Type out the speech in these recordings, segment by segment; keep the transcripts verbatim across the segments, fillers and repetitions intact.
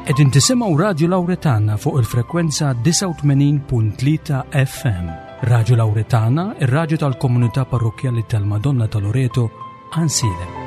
Qegħdin tisimgħu Radio Lauretana fuq il-frekwenza disgħa u tmenin punt tlieta F M. Radio Lauretana, ir-radju tal-Komunità Parrokkjali tal-Madonna ta' Loreto, Għajnsielem.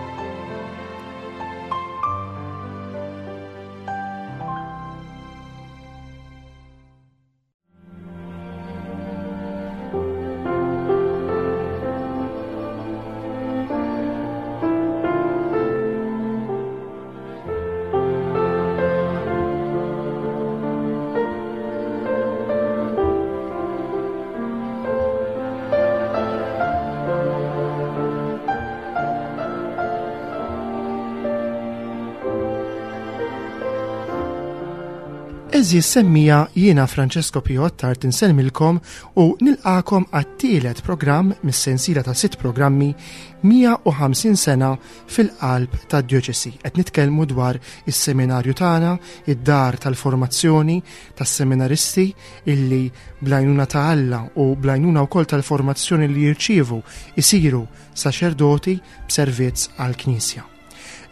Għeżież semmiegħa, jiena Francesco Pio Attard insellmilkom u nilqagħkom għat-tielet programm mis-sensiela ta' sitt programmi mija u ħamsin sena fil-qalb ta' djoċesi. Qed nitkellmu dwar is-seminarju tagħna, id-dar tal-formazzjoni tas-seminaristi illi bl-għajnuna ta' Alla u bl-għajnuna wkoll tal-formazzjoni li jirċievu isiru saċerdoti b'servizz għall-Knisja.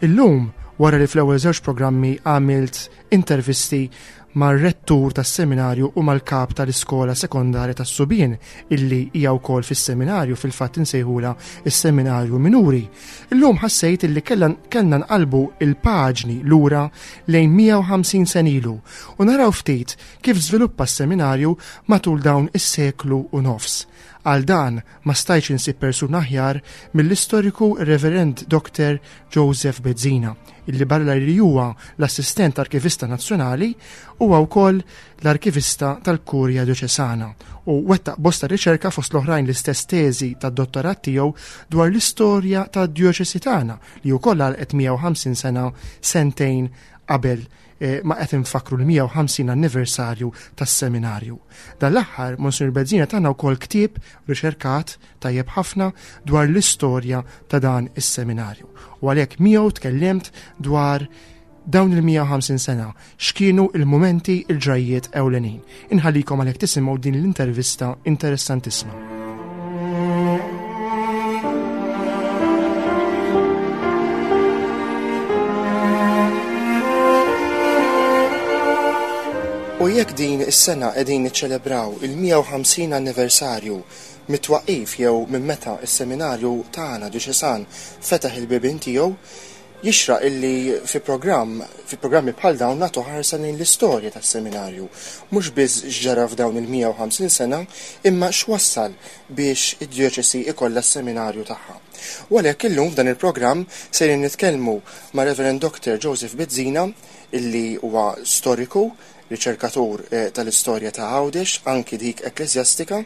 Illum, wara li fl-ewwel żewġ programmi għamilt intervisti mar-rettur tas-seminarju u mal-kap tal-iskola sekondarja tas-subien illi hija wkoll fis-seminarju, fil-fatt insejħula is-seminarju minuri. Illum ħassejt illi kellna nqalbu il-paġni lura lejn mija u ħamsin sena ilu u naraw ftit kif żviluppa s-seminarju matul dawn is-seklu u nofs. Għal dan ma stajtx insib persuna aħjar mill-istoriku Reverend Doctor Joseph Bezzina, illi barra li huwa l-assistent arkivista nazzjonali huwa wkoll l-arkivista tal-Kurja Djoċesana u wettaq bosta riċerka, fost l-oħrajn l-istess teżi tad-dottorat tiegħu dwar l-istorja tad-djoċesi tagħna li wkoll għalqet mija u ħamsin sena sentejn qabel eh, ma qed infakkru l-mija u ħamsin anniversarju tas-seminarju. Dan l-aħħar Monsignor Bezzina tana wkoll ktieb riċerkat tajjeb ħafna dwar l-istorja ta' dan is-seminarju. U għalhekk miegħu tkellimt dwar dawn il-mija u ħamsin sena, x'kienu il-momenti, il-ġrajiet ewlenin. Inħallikom għalhekk tisimgħu din l-intervista interessantissima. U jekk din is-sena qegħdin niċċelebraw il-mija u ħamsin anniversarju mit-twaqif jew minn meta is-seminarju tagħna djoċesan fetaħ il-bibien tiegħu, jixraq illi fi programm fi programmi bħal dawn nagħtu ħarsa lejn l-istorja tas-seminarju, mhux biss x'ġara f'dawn il-mija u ħamsin sena, imma x'wassal biex id-djoċesi ikollha s-seminarju tagħha. U għalhekk illum f'dan il-programm sejrin nitkellmu ma' Reverend Doctor Joseph Bezzina, illi huwa storiku, riċerkatur eh, tal-istorja ta' Għawdex, anki dik ekklesjastika,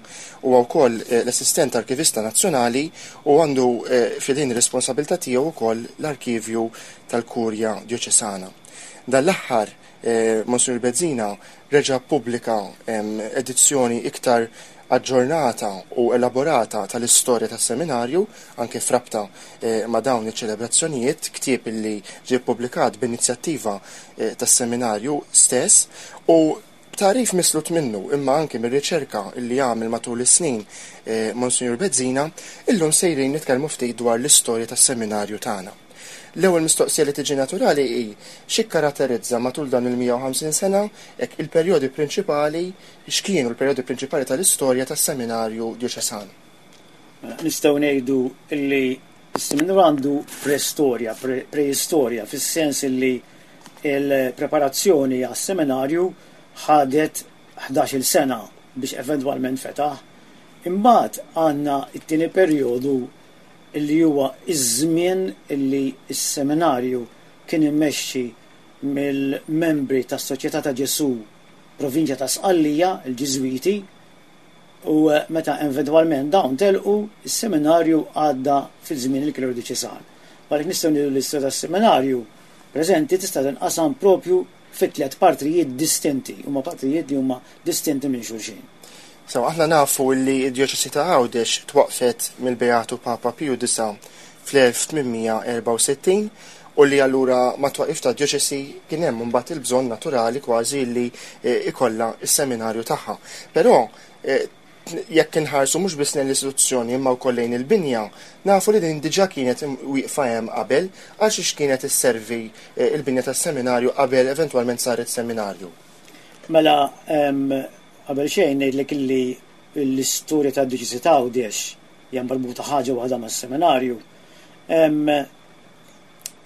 u wkoll eh, l-assistent arkivista nazzjonali u għandu eh, f'idejh responsabilità tiegħu wkoll l-arkivju tal-Kurja Djoċesana. Dan l-aħħar Monsignor Bezzina reġa' pubblika edizzjoni iktar aġġornata u elaborata tal-istorja tas-seminarju, anke frabta eh, ma' dawn iċ-ċelebrazzjonijiet, ktieb illi ġie ppubblikat b'inizjattiva eh, tas-seminarju stess u tagħrif mislut minnu imma anke mir-riċerka illi għamel matul is-snin eh, Monsignor Bezzina, illum sejrin nitkellmu ftit dwar l-istorja tas-seminarju tagħna. L-ewwel mistoqsija li tiġi naturali hi x'ikkaratterizza matul dan il-mija u ħamsin sena hekk il-perjodi prinċipali, x'kienu l-perjodi prinċipali tal-istorja tas-seminarju djoċesan. Mela, nistgħu ngħidu illi s-seminarju għandu preistorja, preistorja, fis-sens illi il-preparazzjoni għas-seminarju ħadet ħdax-il sena biex eventwalment fetaħ. Imbagħad għandna t-tieni perjodu, illi huwa iż-żmien illi s-seminarju kien immexxi mill-membri tas-Soċjetà ta' Ġesu Provinċja ta' Sqallija, il-Ġiżwiti, u meta eventwalment dawn telqu, is-seminarju għadda fil-żmien il-kleru djoċesan. Għalhekk nistgħu ngħidu l-istorja tas-seminarju preżenti tista' tinqasam propju fi tliet partijiet distinti, huma partijiet li huma distinti minn xulxin. So, aħna nafu li d-djoċesi ta' Għawdex twaqfet mill-Beatu Papa Piju Disa fl-elf tmien mija erbgħa u sittin u li allura mat-twaqif ta' djoċesi kien hemm mbagħad il-bżonn naturali kważi li eh, ikollha is-seminarju tagħha. Però eh, Jekk inħarsu mhux biss lejn l-istituzzjoni imma wkoll lejn il-binja, nafu li din diġà kienet wieqfa hemm qabel, għal xiex kienet isservi eh, il-binja tas-seminarju qabel eventwalment saret seminarju. Mela, qabel xejn ngħidlek illi l-istorja tad-djoċesi ta' Għawdex hija marbuta ħaġa waħda mas-seminarju.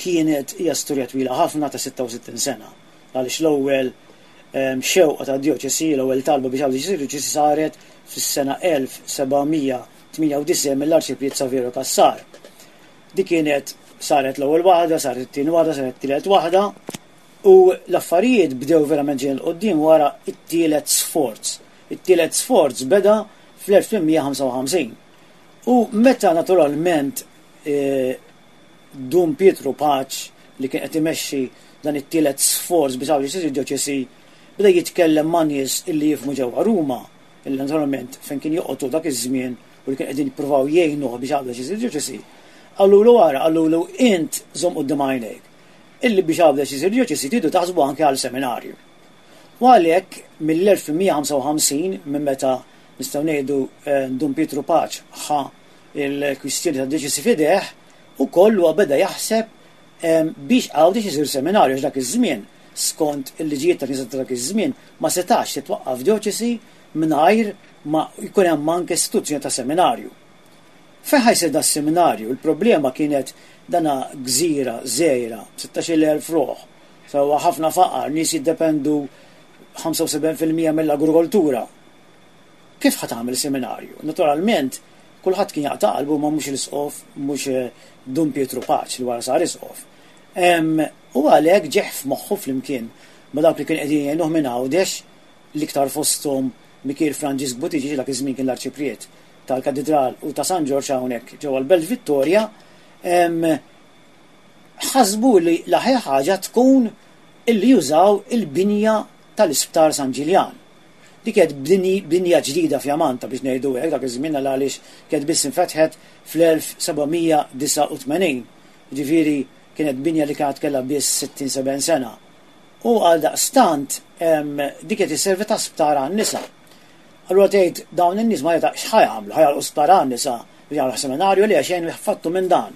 Kienet hija storja twila ħafna ta' sitta u sittin sena. Għaliex l-ewwel xewqa ta' djoċesi, l-ewwel talba biex Għawdex isir djoċesi saret fis-sena elf seba' mija tmienja u disgħin mill-Arċipriet Saverio Cassar. Di kienet saret l-ewwel waħda, saret it-tieni waħda, saret it-tielet waħda, u l-affarijiet bdew verament ġejjin 'il quddiem wara it-tielet sforz. It-tielet sforz beda fl-elf tmien mija ħamsa u ħamsin. U meta naturalment eh, Dun Pietru Pace, li kien qed imexxi dan it-tielet sforz biex Għawdex isir djoċesi, beda jitkellem ma' nies illi jifhmu ġewwa Ruma, illi naturalment fejn kien joqgħodu dak iż-żmien u li kien qegħdin jippruvaw jgħinuh biex Għawdex isir djoċesi. Qalulu wara, qalulu int żomm quddiem għajnejk illi biex Għawdex isir djoċesi tridu taħsbu anke għal seminarju. U għalhekk mill-elf tmien mija ħamsa u ħamsin, minn meta nistgħu ngħidu eh, Dun Pietru Pace ħa il-kwistjoni ta' djoċesi f'idejh, u kollu beda jaħseb biex Għawdex isir seminarju, dak iż-żmien, skont il-liġijiet ta' Knisja ta' dak iż-żmien, ma setax titwaqqaf djoċesi mingħajr ma jkun hemm anke istituzzjoni ta' seminarju. Fejn ħa jsir da seminarju? Il-problema kienet dana gżira żgħira, sittax-il elf ruħ, sewwa, ħafna faqar, nies jiddependu ħamsa u sebgħin fil-mija mill-agrikoltura. Kif ħa tagħmel seminarju? Naturalment, kulħadd kien jaqta' qalbu, ma mhux l-isqof, mhux eh, Dun Pietru Pace li wara sar isqof. U għalhekk ġieħ f'moħħu flimkien ma' dawk li kien qegħdin jgħinuh minn Għawdex, l-iktar fosthom Mikiel Franġisk Buttigieg, dak iż-żmien kien l-arċipriet tal-Katedral u ta' San Ġorġ hawnhekk ġewwa l-Belt Vittoria, ħasbu li l-aħjar ħaġa tkun illi jużaw il-binja tal-Isptar San Ġiljan. Dik kienet binja ġdida fjamanta, biex ngħidu hekk, dak iż-żmien, għaliex kienet biss infetħet fl-elf seba' mija disgħa u tmenin. Ġifieri kienet binja li kienet kellha biss sittin sebgħin sena. U għal daqstant dik qed isservi ta' sptar għan-nisa. Allura tgħid dawn in-nies ma jata x'ħa jagħmlu, ħa jagħlqu sptar għan-nisa, jagħmlu seminarju li għaxejn fattu minn dan.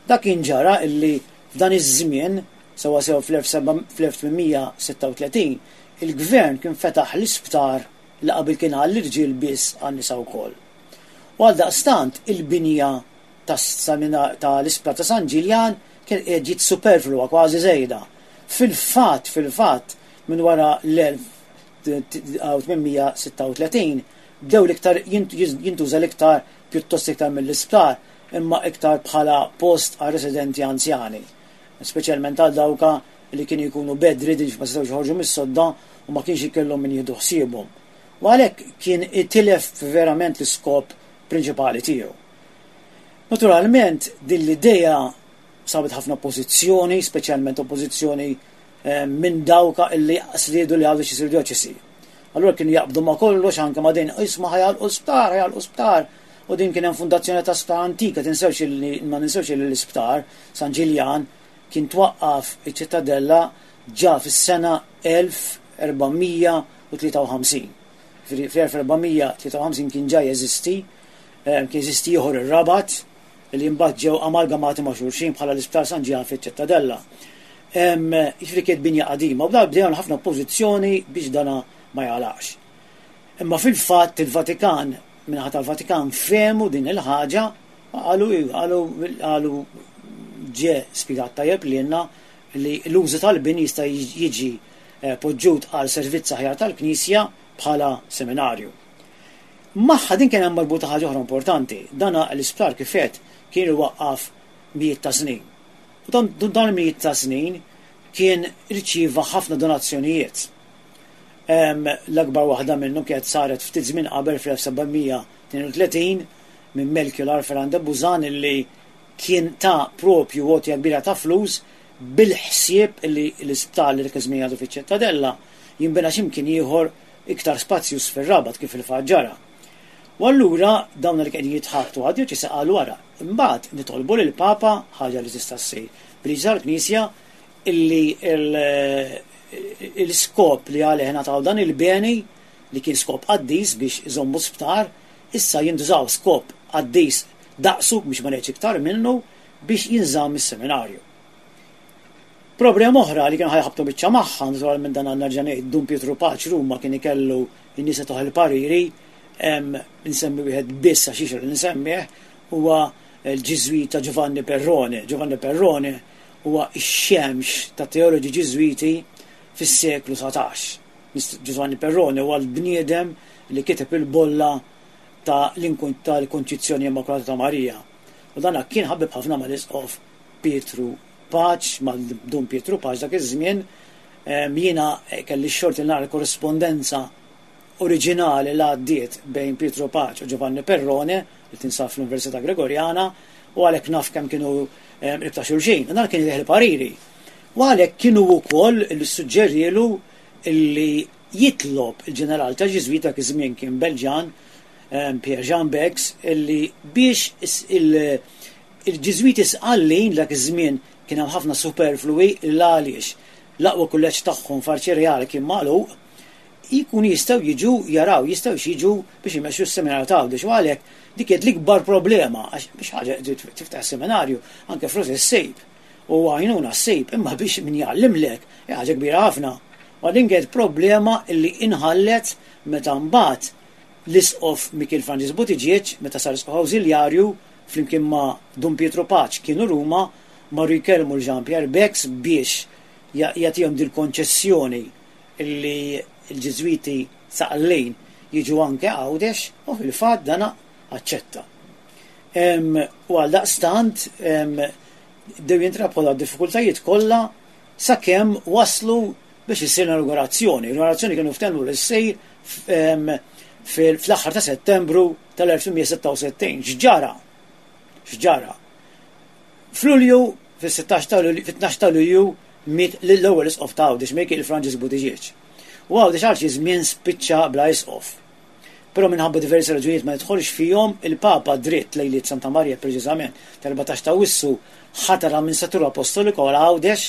Dak kien ġara illi f'dan iż-żmien, sewwa sew fl-elf tmien mija sitta u tletin, il-gvern kien fetaħ l-isptar li qabel kien għall-irġiel biss għan-nisa wkoll. U għal daqstant il-binja tal-isptar ta' San Ġiljan kien ġiet superflua, kważi żejda. Fil-fatt, fil-fatt, minn wara l-elf tmien mija sitta u tletin bdew l-iktar jintuża l-iktar pjuttost iktar mill-isptar, imma iktar bħala post għal residenti anzjani. Speċjalment għal dawka li kienu jkunu bedridden, ma setgħux joħorġu mis-sodda u ma kienx ikellhom min jieħdu ħsiebhom. U għalhekk kien itilef verament l-iskop prinċipali tiegħu. Naturalment din l-idea sabet ħafna oppożizzjoni, speċjalment oppożizzjoni eh, minn dawka illi riedu li Għawdex isir djoċesi. Allura kienu jaqbdu ma kollox, anke ma din, isma', ħa jagħlqu sptar, ħa jagħlqu sptar. U din kien hemm fundazzjoni ta' sptar antika, tinsewx li ma ninsewx li l-isptar San Ġiljan kien twaqqaf iċ-Ċittadella ġa fis-sena elf erba' mija tlieta u ħamsin. Fl-elf erba' mija tlieta u ħamsin kien ġa jeżisti, eh, kien jeżisti ieħor ir-Rabat, li mbagħad ġew amalgamati ma' xulxin bħala l-Isptar San Ġiljan fiċ-Ċittadella. Jiġifieri kienet binja qadima u bdew ħafna oppożizzjoni biex dana ma jagħlaqx. Imma fil-fatt il-Vatikan, min-naħa tal-Vatikan fehmu din il-ħaġa, qalu qalu qalu ġie spjegat tajjeb lilna li l-użu tal-bini jista' jiġi eh, poġġut għal servizz aħjar tal-Knisja bħala seminarju. Magħha din kien hemm marbuta ħaġa oħra importanti. Dana l-isptar kifet kien iwaqqaf mijiet ta' snin. U dan dan mijiet ta' snin kien irċieva ħafna donazzjonijiet. L-akbar waħda minnhom kienet saret ftit żmien qabel fl-elf seba' mija tnejn u tletin minn Melchior Alpheran de Buzan, illi kien ta propju għotja kbira ta' flus bil-ħsieb illi l-isptar li dak iż-żmien għadu fiċ-Ċittadella jinbena x'imkien ieħor iktar spazjuż fir-Rabat, kif il-fatt ġara. U allura dawn li qegħdin jitħabtu għad-djoċesi qalu wara, imbagħad nitolbu lil Papa, ħaġa li tista' ssir bil tal-Knisja, illi l-iskop li għalih ngħataw dan il-beni, li kien skop qaddis biex iżommu sptar, issa jintużaw skop qaddis daqsu biex ma ngħidx iktar minnu biex jinżamm is-seminarju. Problema oħra li kienu ħa jħabbtu biċċa magħha, naturalment dan għandna ngħid Dun Pietru Pace Ruma kien ikellu n-nies tah il-pariri, nsemmi wieħed biss għax jixraq li nsemmih, huwa l-Ġiżwita Giovanni Perrone. Giovanni Perrone huwa x-xemx ta' teoloġi Ġiżwiti fis-seklu satax. Giovanni Perrone huwa l-bniedem li kiteb il-bolla ta' l-Konċizzjoni Immakulata ta' Marija. U dan kien ħabib ħafna mal-Isqof Pietru Pace, mal-Dun Pietru Pace dak iż-żmien. Jiena kelli x-xorti nara korrispondenza oriġinali li għaddiet bejn Pietru Pace u Giovanni Perrone, li tinsab fl-Università Gregoriana, u għalhekk naf kemm kienu qrib ta' xulxin. Dan kien jieħu pariri. U għalhekk kienu wkoll li suġġerielu li jitlob il-ġeneral ta' Ġiżwita dak iż-żmien kien Belġan, Pierre Jean Bex, illi biex il-Ġiżwiti Sqallin dak iż-żmien kien hemm ħafna superflui l għaliex l-aqwa kulleġġ tagħhom f'Arċi Reali kien magħluq, jkun jistgħu jiġu jaraw, jistgħu jiġu biex imexxu s-seminarju ta' Għawdex. U għalhekk dik kienet l-ikbar problema, għax biex ħaġa tiftaħ seminarju anke flus issib u għajnuna ssib, imma biex min jgħallimlek hija ħaġa kbira ħafna. U din kienet problema illi inħallet meta mbagħad l-Isqof Mikiel Franġisk Buttigieg, meta sar isqof awżiljarju, flimkien ma' Dun Pietru Pace kienu Ruma, marru jkellmu l-Jean Pierre Bex biex jagħtihom dil-konċessjoni illi l-Ġiżwiti Sqallin jiġu anke Għawdex, u fil-fatt dana aċċetta. U għal daqstant bdew jintrabħu d-diffikultajiet kollha sakemm waslu biex issir l-inaugurazzjoni. L-inaugurazzjoni kienu ftehmu li ssir fl-aħħar ta' Settembru tal-elf tmien mija sitta u sittin. X'ġara? X'ġara? F'Lulju, fis-sittax ta' Lulju, fit-tnax ta' Lulju, miet l-ewwel isqof ta' Għawdex, Mikiel Franġisk Buttigieg. U Għawdex għal xi żmien spiċċa bla isqof. Però minħabba diversi raġunijiet ma nidħolx fihom, il-Papa dritt lejliet Santa Marija preċiżament tal-erbatax ta' Awwissu ħatar amministratur apostoliku għal Għawdex,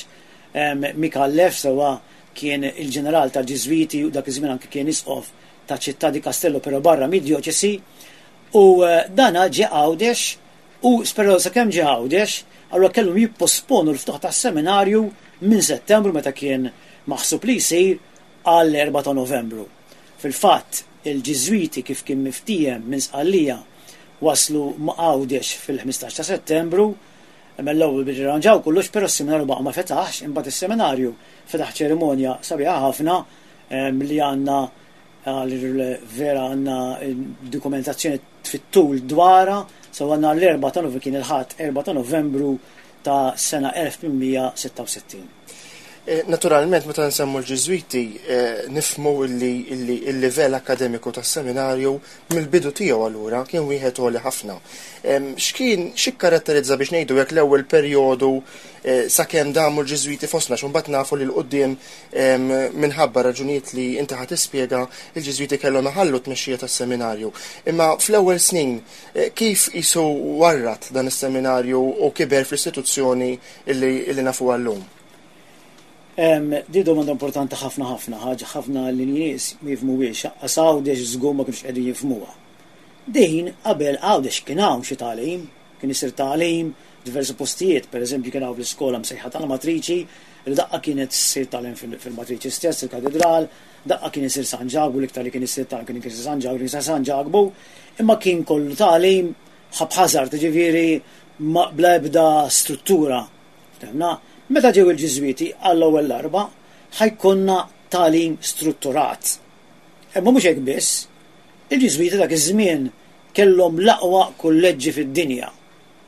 Micallef, sewa kien il-ġeneral tal-Ġiżwiti u dak iż-żmien anke kien isqof ta' Città di Castello però barra mid-djoċesi, u dana ġie Għawdex u però sakemm ġie Għawdex, allura kellhom jipposponu l-ftuħ tas-seminarju minn Settembru meta kien maħsub li jsir għal erba' ta' Novembru. Fil-fatt, il-Ġiżwiti kif kien miftiehem minn Sqallija waslu ma' Għawdex fil-ħmistax ta' Settembru, imma l-ewwel biex irranġaw kollox, però s-seminarju baqa' ma fetaħx, imbagħad is-seminarju fetaħ ċerimonja sabiħa ħafna li għandna vera għandna dokumentazzjoni fit-tul dwarha, so għandna l-erba' ta' Novembru, kien il-Ħadd erba' ta' Novembru ta' sena elf tmien mija sitta u sittin. Eh, naturalment, meta nsemmu l-Ġiżwiti, eh, nifhmu illi, illi il-livell akademiku tas-seminarju mill-bidu tiegħu allura kien wieħed għoli ħafna. Em, x'kien, x'ikkaratterizza biex ngħidu hekk l-ewwel perjodu, eh, sakemm damu l-Ġiżwiti fostna, x'u mbagħad nafu li l-qudiem, em, minħabba raġunijiet li inti ħa tispjega, il-Ġiżwiti kellhom iħallu t-tmexxija tas-seminarju. Imma fl-ewwel snin, eh, kif isu warrat dan is-seminarju u kiber fl-istituzzjoni illi, illi nafu għallum? Em, di domanda importanti ħafna ħafna, ħaġa ħafna li nies ma jifhmuhiex, għax Għawdex żgur ma kienux qegħdin jifhmuha. Din qabel Għawdex kien hawn xi tagħlim, kien isir tagħlim diversi postijiet, pereżempju kien hawn l-iskola msejħa tal-Matriċi, li daqqa kienet ssir tagħlim fil-, fil-Matriċi stess, il-Katedral, daqqa kien isir San Ġakbu, l-iktar li kien isir tagħlim kien isir San Ġakbu, kien isir San Ġakbu, imma kien kollu tagħlim haphazard, ġifieri ma bla ebda struttura. Ftemna? Meta ġew il-Ġiżwiti għall-ewwel darba ħajkonna tagħlim strutturat. Imma mhux hekk biss, il-Ġiżwiti dak iż-żmien kellhom l-aqwa kulleġġi fid-dinja.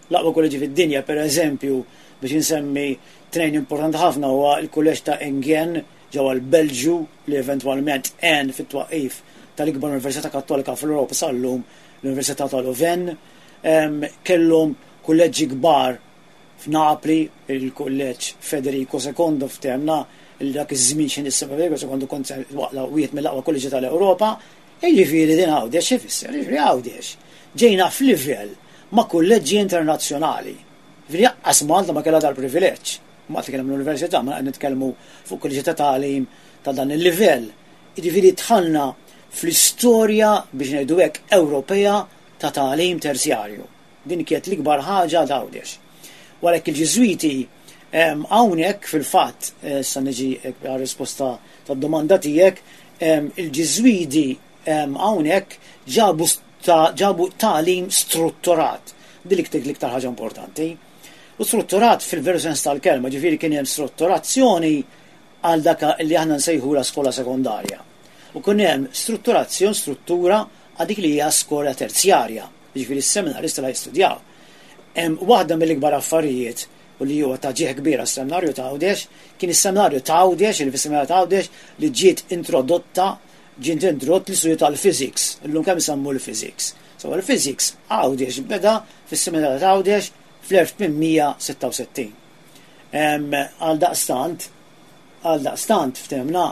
L-aqwa kulleġġi fid-dinja, pereżempju, biex insemmi tnejn importanti ħafna huwa l-kulleġġ ta' Enghien ġewwa l-Belġju li eventwalment għen fit-twaqqif tal-ikbar Università Kattolika fl-Ewropa sal-lum, l-Università ta' Louvain. Em, kellhom kulleġġi kbar f'Napli, il-kulleġġ Federico secondo ftemna li dak iż-żmien x'inhi issa Federico secondo kont waqla wieħed mill-aqwa kulleġġi tal-Ewropa. Jiġifieri din Għawdex xi fisser? Jiġifieri Għawdex ġejna f'livell ma' kulleġġi internazzjonali. Jiġifieri lanqas Malta ma kellha dal-privileġġ. Malta kien hemm l-università, ma qed nitkellmu fuq kulleġġi ta' tagħlim ta' dan il-livell. Jiġifieri dħalna fl-istorja, biex ngħidu hekk, Ewropea ta' tagħlim terzjarju. Din kienet l-ikbar ħaġa Għawdex. Għalhekk il-Ġiżwiti hawnhekk fil-fatt, sa niġi għar-risposta tad-domanda tiegħek, il-Ġiżwiti hawnhekk ġabu ġabu tagħlim strutturat. Din l-iktar ħaġa importanti. U strutturat fil-veru sens tal-kelma, ġifieri kien hemm strutturazzjoni għal dak li aħna nsejħu la skola sekondarja. U kien hemm strutturazzjoni, struttura għal dik li hija skola terzjarja, ġifieri s-seminaristi la jistudjaw. Hemm waħda mill-ikbar affarijiet u li huwa ta' ġieħ kbira s-seminarju ta' Għawdex, kien is-seminarju ta' Għawdex, il seminarju ta' Għawdex li ġiet introdotta, ġiet introdott l-istudju tal-physics, illum kemm isemmu l-physics. So l-physics Għawdex beda fis-seminarju ta' Għawdex fl-elf tmien mija sitta u sittin. Għal daqstant, għal daqstant ftemna,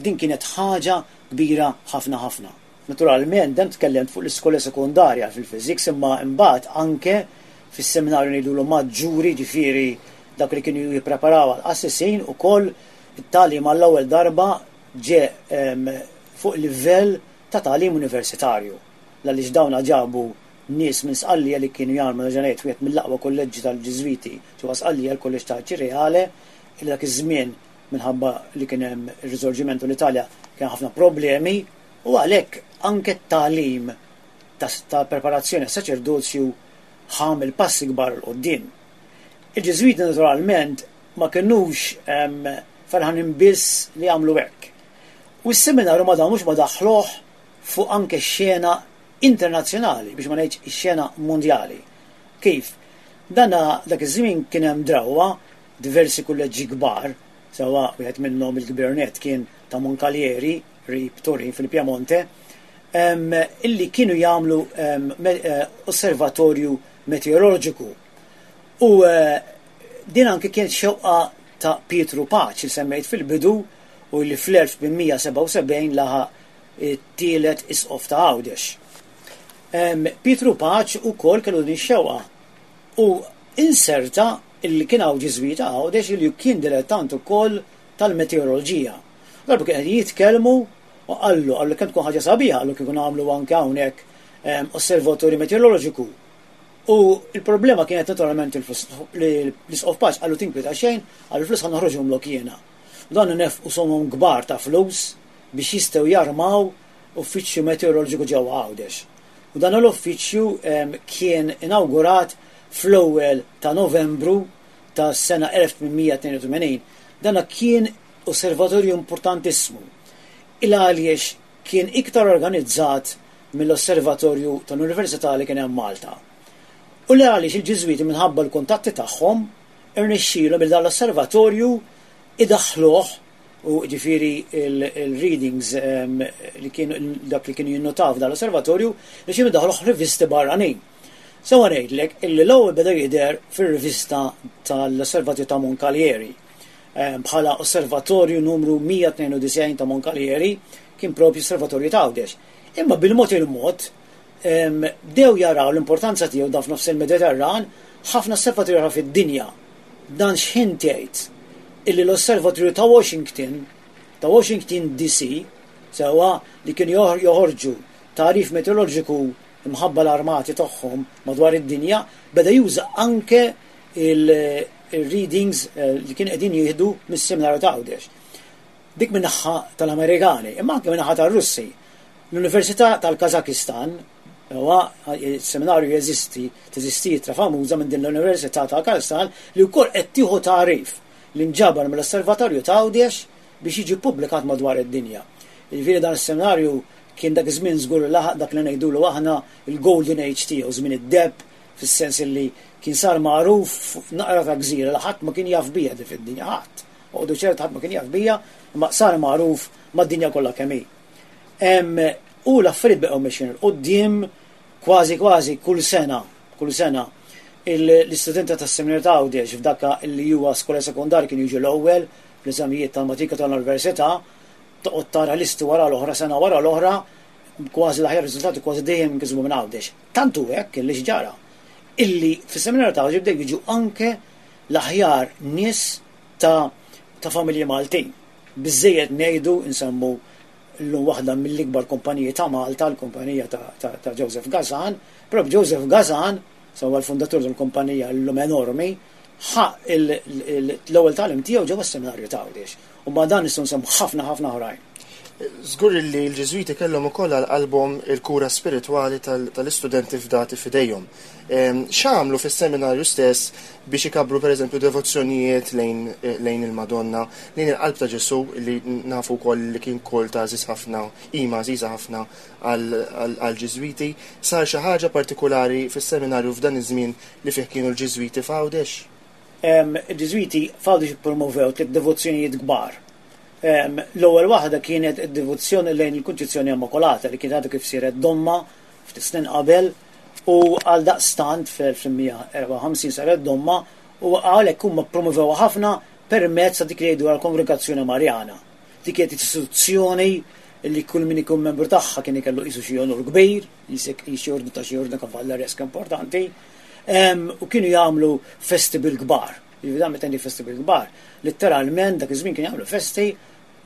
din kienet ħaġa kbira ħafna ħafna. Naturalment, dan tkellimt fuq l-iskola sekundarja fil-physics, imma imbagħad anke fis-seminarju ngħidulu maġġuri, ġifieri dak li kienu jippreparaw għal-qassisin, ukoll it-tagħlim għall-ewwel darba ġe fuq livell ta' tagħlim universitarju. Għaliex dawna ġabu nies minn Sqallija li kienu jagħmlu ġenet wieħed mill-aqwa kolleġġi tal-Ġiżwiti ġewwa Sqallija, l-kolleġġ ta' Ċireale, li dak iż-żmien minħabba li kien hemm ir-risorġimento l-Italja kien ħafna problemi u għalhekk anke t-tagħlim ta' preparazzjoni għas-saċerdozju ħa passi kbar 'l quddiem. Il-Ġiżwiti naturalment ma kinux ferħanin biss li għamlu hekk. U s-seminarju ma damux ma daħluh fuq anke xena internazzjonali, biex ma ngħidx ix-xena mondjali. Kif? Dana dak iż-żmien kien hemm drawwa diversi kulleġġi kbar, sewwa wieħed minnhom il-kbir nett kien ta' Moncalieri, qrib Turin fil-Piemonte, illi kienu jagħmlu eh, osservatorju meteoroloġiku. U eh, din anke kienet xewqa ta' Pietru Paċ li semmejt fil-bidu u li fl-elf tmien mija sebgħa u sebgħin laħaq it-tielet isqof ta' Għawdex. Pietru Paċ ukoll kellu din xewqa u inserta illi kien hawn Ġiżwita Għawdex li kien dilettant ukoll tal-meteoroloġija. Darba kien qed jitkellmu u qallu qallu kemm tkun ħaġa sabiħa, qallu, kieku nagħmlu anke hawnhekk osservatorju meteoroloġiku. U il-problema kienet naturalment il-flus. L-isqof Paċ qallu: "Tinkwita xejn," qallu, "flus ħa noħroġhomlok jiena." Dan nefqu somom kbar ta' flus biex jistgħu jarmaw uffiċċju meteoroloġiku ġewwa Għawdex. U dan l-uffiċċju kien inawgurat fl-ewwel ta' Novembru ta' sena elf tmien mija tnejn u tmenin. Dan kien osservatorju importantissimu. Il għaliex kien iktar organizzat mill-osservatorju tal-Università li kien hemm Malta. U li għaliex il-Ġiżwiti minħabba l-kuntatti tagħhom irnexxielhom il dan l-osservatorju idaħħluh u ġifieri il-readings li kienu dak li kienu jinnotaw f'dan l-osservatorju li kienu daħluh rivisti barranin. Sewa ngħidlek illi l-ewwel beda jidher fir-rivista tal-Osservatorju ta' Moncalieri bħala osservatorju numru mija tnejn u disgħin ta' Moncalieri, kien propju osservatorju ta' Għawdex. Imma bil-mod il-mod bdew jaraw l-importanza tiegħu dan f'nofs il-Mediterran ħafna osservatorju oħra fid-dinja. Dan x'ħin tgħid illi l-osservatorju ta' Washington, ta' Washington D C, sewwa li kienu joħorġu tagħrif meteoroloġiku imħabba l-armati tagħhom madwar id-dinja, beda juża anke il-readings eh, li kien qegħdin jieħdu mis-seminarju ta' Għawdex. Dik min-naħa tal-Amerikani, imma anke min-naħa tal-Russi. L-Università tal-Kazakistan, huwa seminarju jeżisti, teżisti ittra famuża minn din l-Università tal-Kazakistan li wkoll qed tieħu tagħrif li nġabar mill-Osservatorju ta' Għawdex biex jiġi publikat madwar id-dinja. Jiġifieri dan is-seminarju kien dak iż-żmien żgur laħaq dak li ngħidulu aħna il-Golden Age tiegħu, żmien id-deheb, fis-sens li kien sar magħruf naqra ta' gżira li ħadd ma kien jaf bija di fid-dinja, ħadd. Oqogħdu ċert, ħadd ma kien jaf bija, imma sar magħruf mad-dinja kollha kemm hi. U l-affarijiet baqgħu mexjin 'il quddiem kważi kważi kull sena, kull sena l-istudenti tas-seminarju ta' Għawdex f'dakka li huwa skola sekondarja kienu jiġu l-ewwel fl-eżamijiet tal-matrika tal-università, toqgħod tara listi wara l-oħra, sena wara l-oħra, kważi l-aħjar riżultati kważi dejjem nkisbu minn Għawdex. Tantu hekk illi x'ġara? Illi fis-seminarju ta' Għawdex bdew jiġu anke l-aħjar nies ta' ta' familji Maltin. Biżejjed ngħidu nsemmu llum waħda mill-ikbar kumpaniji ta' Malta, l-kumpanija ta', ta, ta' Joseph Gazan. Però Joseph Gazan, sewwa l-fundatur tal-kumpanija llum enormi, ħa l-ewwel tagħlim tiegħu ġewwa s-seminarju ta' Għawdex. U ma' dan nistgħu nsemmu ħafna ħafna oħrajn. Żgur li l-Ġiżwiti kellhom ukoll għal qalbhom il-kura spiritwali tal-istudenti fdati f'idejhom. X'għamlu fis-seminarju stess biex ikabbru, pereżempju, devozzjonijiet lejn, lejn il-Madonna, lejn il-qalb ta' Ġesù, li nafu wkoll li kien kult għażiż ħafna, qima għażiża ħafna għall-Ġiżwiti? Sar xi ħaġa partikulari fis-seminarju f'dan iż-żmien li fih kienu l-Ġiżwiti f'Għawdex? Il-Ġiżwiti f'Għawdex ippromovew tliet devozzjonijiet kbar. L-ewwel waħda kienet id-devozzjoni lejn il-Kunċizzjoni Immakolata, li kienet għadha kif siret domma ftit snin qabel, u għal daqstant fl-elf tmien mija erbgħa u ħamsin saret domma, u għalhekk huma promovewha ħafna permezz ta' dik li jgħidu għall-Kongregazzjoni Marjana. Dik kienet istituzzjoni li kull min ikun membru tagħha kien ikellu qisu xi onur kbir, jisek xi ordni ta' xi ordni kavallereska importanti, u kienu jagħmlu festi bil-kbar. Jiġifieri dan meta festi bil-kbar, letteralment dak iż-żmien kien jagħmlu festi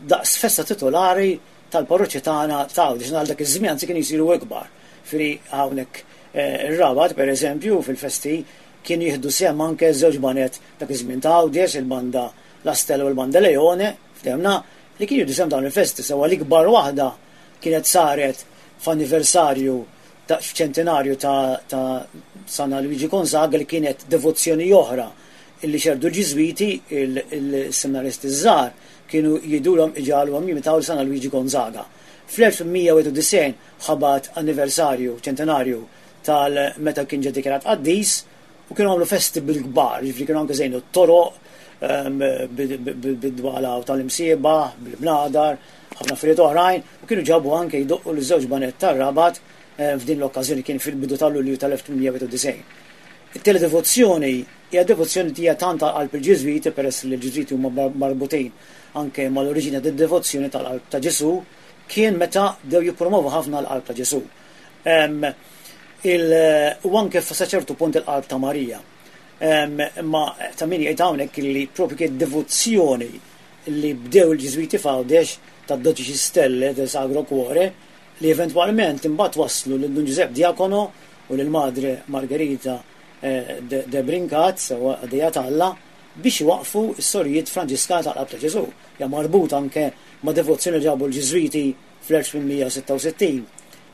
daqs festa titolari tal-parroċċi tagħna ta' Għawdex, għal dak iż-żmien anzi kienu jsiru ikbar. Fri hawnhekk ir-Rabat, pereżempju, fil-festi kien jieħdu sehem anke żewġ baned dak iż-żmien ta' Għawdex, il-banda La Stella u l-banda Leone, ftemna, li kienu jieħdu sehem dawn il-festi. Sewwa l-ikbar waħda kienet saret f'anniversarju ta' ċentinarju ta', ta San Luigi Gonzaga, li kienet devozzjoni oħra illi xerdu l-Ġiżwiti. Il-seminaristi żgħar kienu jgħidulhom iġagħluhom jimitaw San Luigi Gonzaga. Fl-elf tmien mija wieħed u disgħin ħabat anniversarju ċentinarju tal-meta kien ġie dikjarat qaddis u kienu għamlu festi bil-kbar, ġifieri kienu anke żejnu t-toroq bid-dwala u tal-imsiebaħ, bil-bnadar, ħafna affarijiet oħrajn, u kienu ġabu anke jdoqqu l-żewġ baned tar-Rabat f'din l-okkażjoni, kien fil-bidu tal-Lulju tal-elf tmien mija wieħed u disgħin. It-tieni devozzjoni hija devozzjoni hija tant għal qalb il-Ġiżwiti, peress li l-Ġiżwiti huma marbutin anke mal-oriġini tad-devozzjoni tal-qalb ta' Ġesù, kien meta bdew jippromovu ħafna l-qalb ta' Ġesù. U anke sa ċertu punt il-qalb ta' Marija. Imma ta' min jgħid hawnhekk li propju kien devozzjoni li bdew il-Ġiżwiti f'Għawdex ta' Dodici Stelle del Sacro Cuore, li eventwalment imbagħad waslu lil Dun Giuseppe Diacono u lil Madre Margherita de, de Brincat, sewwa qaddejja t'Alla, biex waqfu s-sorijiet Franġiskani tal-Qalb ta' Ġesù. Ja marbut anke ma' devozzjoni li ġabu l-Ġiżwiti fl-elf tmien mija sitta u sittin.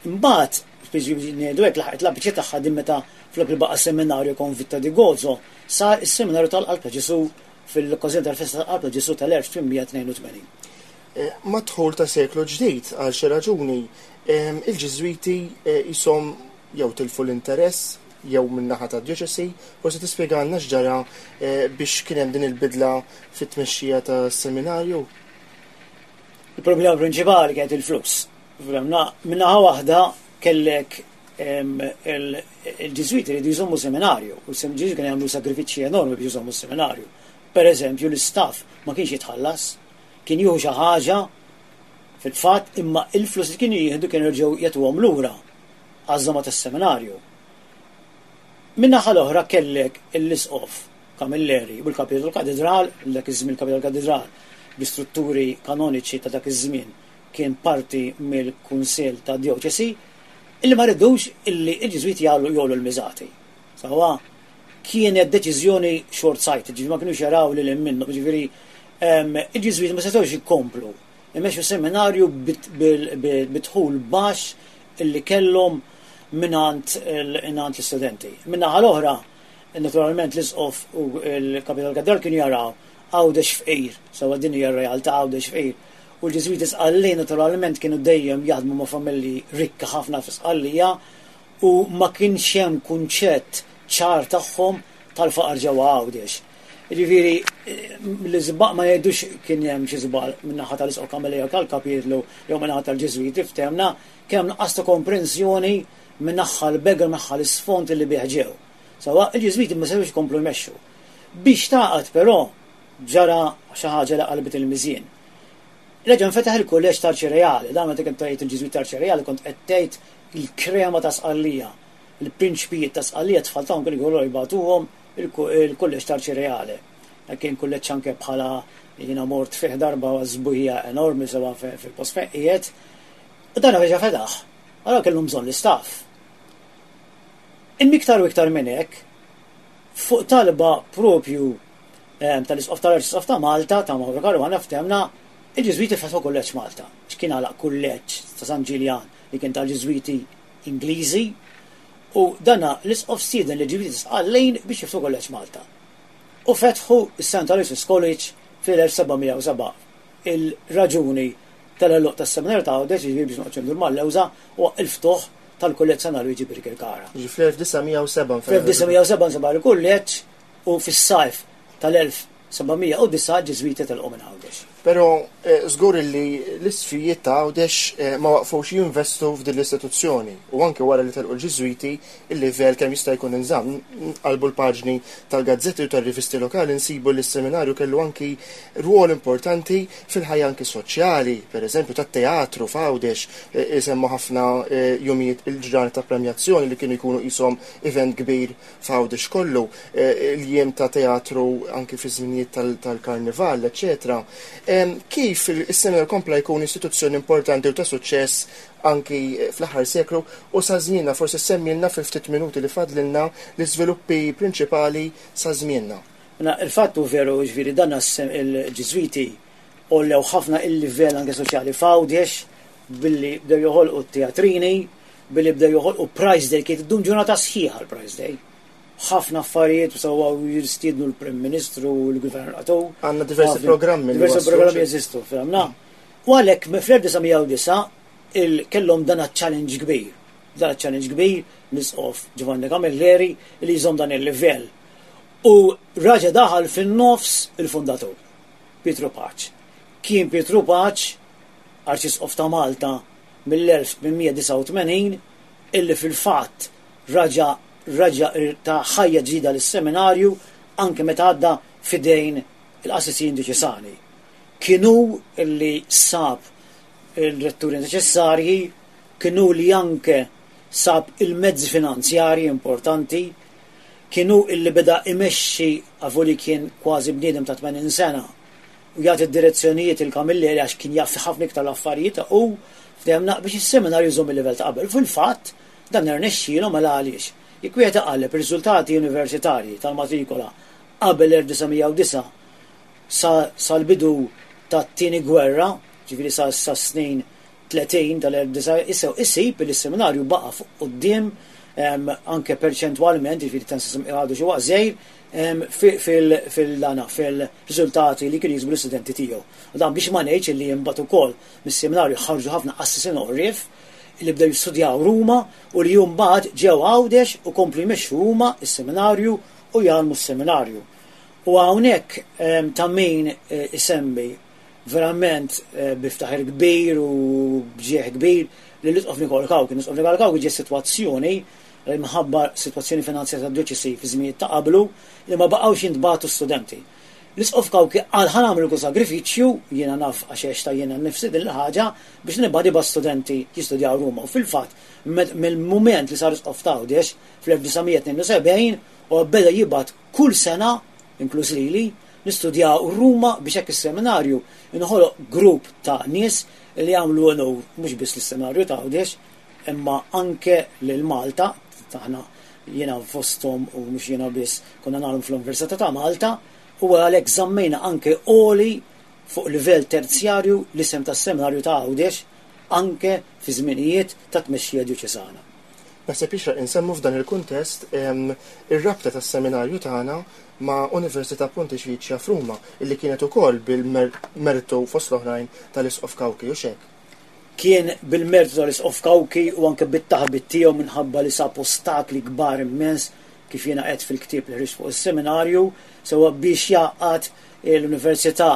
Imbagħad, biex ngħidu hekk, laħqet l-apiċi tagħha din meta flok li baqa' seminarju Convitto di Gozo, sar is-seminarju tal-Qalb ta' Ġesù fil-okkażjoni tal-festa tal-Qalb ta' Ġesù tal-elf tmien mija tnejn u tmenin. Mad-dħul ta' seklu ġdid, għal xi raġuni, il-Ġiżwiti jisom jew tilfu l-interess jew min-naħa ta' djoċesi. Forsi tispjegalna x'ġara biex kien hemm din il-bidla fit-tmexxija ta' seminarju? Il-problema prinċipali kienet il-flus. Min-naħa waħda kellek il-Ġiżwiti li jżommu seminarju, u l-Ġiżwiti kienu jagħmlu sagrifiċċji enormi biex jżommu seminarju. Per eżempju, l-istaff ma kienx jitħallas, kien jieħu xi ħaġa fil-fatt, imma il-flus li kienu jieħdu kienu jerġgħu jagħtuhom lura għaż-żama tas-seminarju. Min-naħa l-oħra kellek l-isqof Camilleri u l-kapitlu tal-katedral, dak iż-żmien kapitlu tal-katedral bi strutturi kanoniċi ta' dak iż-żmien kien parti mill-Kunsill ta' Djoċesi, illi ma ridux illi il-Ġiżwiti jagħlu jogħlu l-miżati. Sewwa kienet deċiżjoni short sighted, ġifieri ma kienux jaraw lil minnu, ġifieri il-Ġiżwiti ma setgħux jkomplu imexxu seminarju bid-dħul baxx illi kellhom mingħand l-istudenti. Min-naħa l-oħra, naturalment, l-isqof u l-kapital katedral kienu jaraw Għawdex fqir, sewwa din hija r-realtà, Għawdex fqir. U l-Ġiżwiti Sqallin naturalment kienu dejjem jaħdmu ma' familji rikka ħafna fi Sqallija u ma kienx hemm kunċett ċar tagħhom tal-faqar ġewwa Għawdex. Ġifieri l-iżball ma jgħidux kien hemm xi żball min-naħa tal-isqof Camilleri tal-kapitlu jew min-naħa tal-Ġiżwiti, ftehmna, kien hemm nuqqas ta' komprensjoni min-naħa l-begel, naħa l-isfond li bih ġew. Sewwa il-Ġiżwiti ma setgħux jkomplu jmexxu. Biex taqgħod però ġara xi ħaġa li qalbet il-miżien. Reġa' nfetaħ il-kulleġġ tal-Ċireali, dan meta kont tgħid il-Ġiżwit tal-Ċireali kont qed tgħid il-krema ta' Sqallija. Il-prinċpijiet ta' Sqallija, tfal tagħhom kienu jkollu jibagħtuhom il-kulleġġ tal-Ċireali. Kien kulleġġ anke bħala jiena mort fih darba żbuħija enormi sewa fil-post fejn qiegħed. U dan reġa' fetaħ. Allora kellhom bżonn l-istaff. Imma iktar u iktar minn hekk, fuq talba propju tal-Isqof tal-Arċisqof ta' Malta, ta' Mauro Caruana, ftemna, il-Ġiżwiti fetħu kulleġġ Malta. X'kien għalaq kulleġġ ta' San Ġiljan li kien tal-Ġiżwiti Ingliżi, u dana l-Isqof stieden li Ġiżwiti Sqallin biex jiftħu kulleġġ Malta. U fetħu is-Saint Aloysius College fil-elf seba' mija u seba'. Il-raġuni tal-għeluq tas-seminarju ta' Għawdex, jiġifieri biex noqgħod ndur mal-lewża, huwa il-ftuħ tal-kulleġġ San Alwiġi Birkirkara. Ġi fl-elf disa' mija u seba' Fl-elf disa' mija u seba' nseba' il-kulleġġ u fis-sajf tal-elf seba' mija u disa' Ġiżwiti telqu minn Għawdex. Però, eh, żgur li l-isfijiet ta' Għawdex, eh, ma waqfux jinvestu f'din l-istituzzjoni u anke wara li telqu l-Ġiżwiti il-livell kemm jista' jkun inżamm. Nqalbu l-paġni tal-gazzetti u tar-rivisti lokali nsibu li s-seminarju kellu anki rwol importanti fil-ħajja anki soċjali, per eżempju tat-teatru f'Għawdex, eh, isemmu ħafna, eh, jumijiet il-ġranet ta' premjazzjoni li kienu jkunu qishom event kbir f'Għawdex kollu, eh, il-jiem ta' teatru anki fi żminijiet tal-, tal-karnival, eċċetera. Em, kif il-seminarju kompla jkun istituzzjoni importanti u ta' suċċess anki fl-aħħar seklu u sa żmienna, forsi semmilna fil-ftit minuti li fadlilna l-iżviluppi prinċipali sa żmienna. Na, il-fatt hu veru, ġifieri dan il-Ġiżwiti għollew ħafna il-livell anke soċjali f'Għawdex billi bdew joħolqu t-teatrini, billi bdew joħolqu Prize Day, kienet iddum ġurnata sħiħa l-Prize Day. Ħafna affarijiet u sewwa jistiednu l-Prim Ministru u l-Gvernatur. Għandna diversi Ħafna programmi li diversi waslu programmi xi- jeżistu, fehmna. U għalhekk fl-elf disa' mija u disa' il kellhom dan challenge kbir. Dan challenge kbir l-Isqof Giovanni Camilleri li jżomm dan il-livell. U raġa daħal fin-nofs il-fundatur, Pietru Pace. Kien Pietru Pace, Arċisqof ta' Malta mill-elf tmien mija disgħa u tmenin, illi fil-fatt raġa raġa ta' ħajja ġdida lis-seminarju anke meta għadda fidejn il-qassisin dioċesani. Kienu illi sab il-retturi neċessarji, kienu li anke sab il-mezzi finanzjarji importanti, kienu illi beda imexxi għavoli kien kważi bniedem ta' tmenin sena u jagħti d-direzzjonijiet il-Camilleri għax kien jaf ħafna iktar l-affarijiet u ftehemna biex is-seminarju jżomm il-livell ta' qabel. Fil-fatt dan irnexxielhom mela għaliex. Jekk wieħed iqalleb ir-riżultati universitarji tal-matrikola qabel elf disa' mija u disa' sa-, sal-bidu tat-tieni gwerra, ġifieri sa-, sa snin tletin tal-elf disa' isew isib li s-seminarju baqa' fuq quddiem, em, anke perċentwalment, ġifieri tan sistem għadu xi waqt żgħir, em, fi-, fil-, fil-dana, fil-riżultati li kienu jiksbu l-istudenti tiegħu. U dan biex ma ngħidx li imbagħad ukoll mis-seminarju ħarġu ħafna qassisin għorrief li bdew jistudjaw Ruma u li jum bad ġew Għawdex u komplu jmexxu huma s-seminarju u jgħallmu s-seminarju. U hawnhekk, em, ta' min, eh, isemmi verament, eh, biftaħir kbir u bġieħ kbir li l-Isqof Nikola Cauchi. L-Isqof Nikola Cauchi ġie sitwazzjoni li minħabba sitwazzjoni finanzjarja tad-djoċesi fi żminijiet ta' qablu li ma baqgħux jintbagħtu studenti. L-Isqof Cauchi qal ħa nagħmlu kull sagrifiċċju, jiena naf għax għexta jiena nnifsi din il-ħaġa biex nibgħat nibgħat studenti jistudjaw Ruma. U fil-fatt, med-, mill-mument li sar Isqof ta' Għawdex fl-elf disa' mija tnejn u sebgħin u beda jibgħat kull sena, inkluż lili, nistudjaw Ruma biex hekk is-seminarju inħoloq grupp ta' nies li jagħmlu onur mhux biss lis-seminarju ta' Għawdex, imma anke lil Malta, taħna jiena fosthom u mhux jiena biss konna nagħmlu fl-Università ta' Malta, u għalhekk żammejna anke għoli fuq livell terzjarju l-isem tas-seminarju ta' Għawdex anke fi żminijiet ta' tmexxija dioċesana. Naħseb jixraq insemmu f'dan il-kuntest, em, ir-rabta tas-seminarju tagħna ma' Università Pontifiċja f'Ruma, illi kienet ukoll bil-mertu fost l-oħrajn tal-Isqof Cauchi u xek. Kien bil-mertu tal-Isqof Cauchi u anke bit-taħbit tiegħu minħabba li sab ostakli kbar immens kif jiena qed fil-ktieb li ħriġt fuq is-seminarju, sewwa biex jgħaqqad l-Università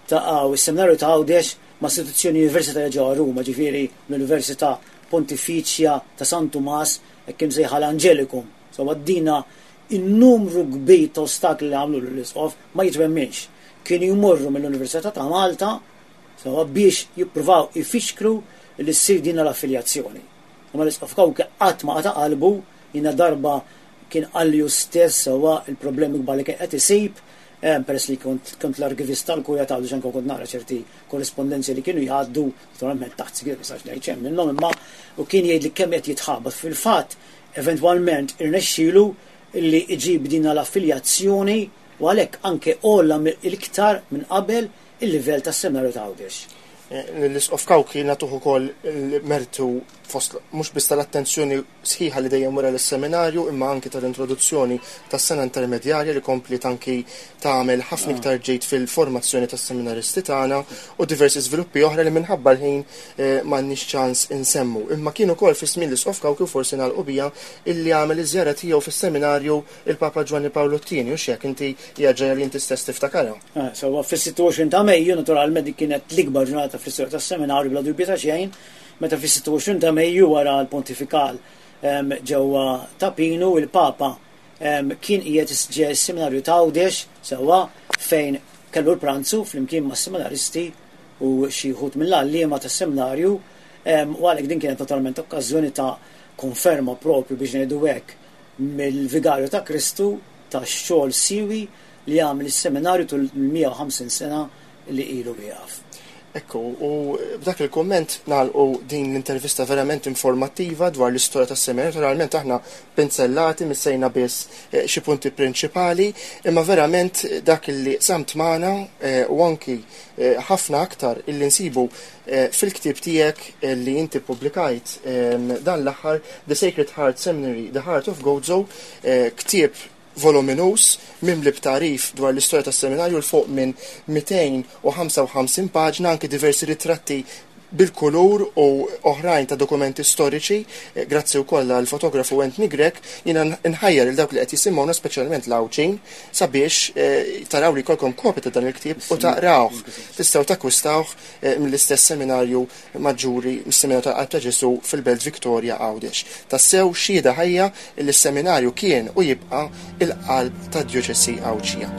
ta' Għaw, is-seminarju ta' Għawdex ma' istituzzjoni universitarja ġewwa Ruma, ġifieri l-Università Pontifiċja ta' San Tumas, hekk imsejħa l-Angelicum. Sewwa dina in-numru kbir ta' ostakli li għamlu l-Isqof ma jitwemminx. Kienu jmorru mill-Università ta' Malta sewwa biex jippruvaw ifixklu li ssir din l-affiljazzjoni. Imma l-Isqof Cauchi qatt ma qata' qalbu, jiena darba kien qalli hu stess sewwa il-problemi kbar li kien qed isib, Peress li kont kont l-arkivist tal-Kurja ta' Għawdex, anke kont nara ċerti korrispondenzi li kienu jgħaddu, naturalment taħt sigriet, ma nistax ngħid xejn minnhom, imma u kien jgħid li kemm qed jitħabat. Fil-fatt, eventwalment irnexxielu li iġib din l-affiljazzjoni u għalhekk anke għolla l-iktar minn qabel il-livell tas-seminarju ta' Għawdex. L-Isqof Cauchi nagħtuh ukoll il-mertu fost mhux biss tal-attenzjoni sħiħa li dejjem wara l-seminarju, imma anki tal-introduzzjoni tas-sena intermedjarja li kompliet anki tagħmel ħafna iktar ġid fil-formazzjoni tas-seminaristi tagħna u diversi żviluppi oħra li minħabba l-ħin m'għandniex ċans insemmu. Imma kien ukoll fi żmien l-Isqof Cauchi, u forsi nagħlqu bija, illi għamel iż-żjara tiegħu fis-seminarju il-Papa Ġwanni Pawlu t-tieni, u x'hekk inti hija ġrajja li inti stess tiftakarha. Sewwa, fis-sitta u għoxrin ta' Mejju, naturalment dik kienet l-ikbar ġurnata fl-istorja tas-seminarju bla dubju ta' xejn, meta fis-sitta u għoxrin ta' Mejju wara l-pontifikal ġewwa Ta' Pinu, il-Papa kien qiegħed ġej is-seminarju ta' Għawdex, sewwa, fejn kellu l-pranzu flimkien mas-seminaristi u xi wħud mill-għalliema tas-seminarju, u għalhekk din kienet naturalment okkażjoni ta' konferma propju biex ngħidu hekk mill-Vigarju ta' Kristu ta' xogħol siwi li għamel is-seminarju tul mija u ħamsin sena li ilu wieqaf. Ekku, u b'dak il-komment nagħlqu din l-intervista verament informattiva dwar l-istorja tas-seminarju. Naturalment aħna pinzellati, missejna biss xi punti prinċipali, imma verament dak li samt magħna u anki ħafna aktar illi nsibu fil-ktieb tiegħek li inti ppubblikajt dan l-aħħar, The Sacred Heart Seminary, The Heart of Gozo, ktieb voluminus mimli b'tarif dwar l-istorja tas-seminarju l fuq minn mitejn u ħamsa u ħamsin paġna, anki diversi ritratti bil-kulur u oħrajn ta' dokumenti storiċi, grazzi wkoll għal fotografu Anthony Grech. Jiena nħajjar il dawk li qed jisimgħuna, speċjalment l-Għawdxin, sabiex taraw li jkollkom kopja ta' dan il-ktieb u taqrawh. Tistgħu takkwistawh mill-istess seminarju maġġuri, mis-seminarju tal-Qalb ta' Ġesu fil-Belt Victoria Għawdex. Tassew xhieda ħajja li s-seminarju kien u jibqa' il-qalb tad-djoċesi Għawdxija.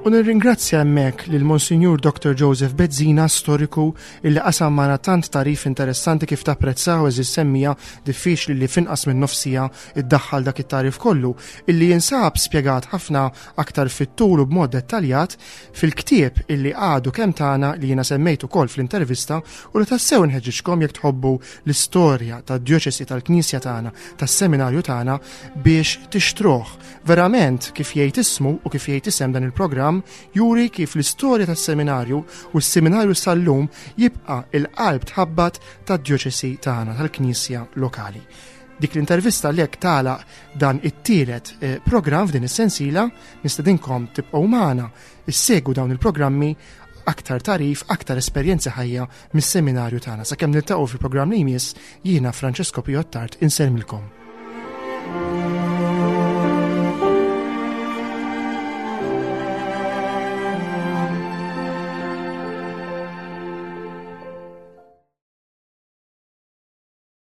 U nirringrazzja hemmhekk lil Monsinjur Doktor Joseph Bezzina, storiku, illi qasam magħna tant tarif interessanti kif tapprezzaw, eżis semmija diffiċli li finqas minn nofsija iddaħħal dak it-tarif kollu, illi jinsab spjegat ħafna aktar fit-tul u b'mod dettaljat fil-ktieb illi għadu kemm tagħna li jiena semmejt ukoll fl-intervista, u li tassew nħeġġiġkom jekk tħobbu l-istorja tad-djoċesi tal-Knisja tagħna, tas-seminarju tagħna, biex tixtruh. Verament kif jgħid ismu u kif jgħid isem dan il-programm juri kif l-istorja tas-seminarju u s-seminarju sal-lum jibqa' il-qalb tħabbat tad-djoċesi tagħna, tal-Knisja lokali. Dik l-intervista li hekk tagħlaq dan it-tielet, eh, programm f'din is-sensiela, nistedinkom tibqgħu magħna, issegwu dawn il-programmi, aktar tarif, aktar esperjenzi ħajja mis-seminarju tagħna. Sakemm niltaqgħu fil-programm li jmiss, jiena Francesco Pio Attard insellmilkom.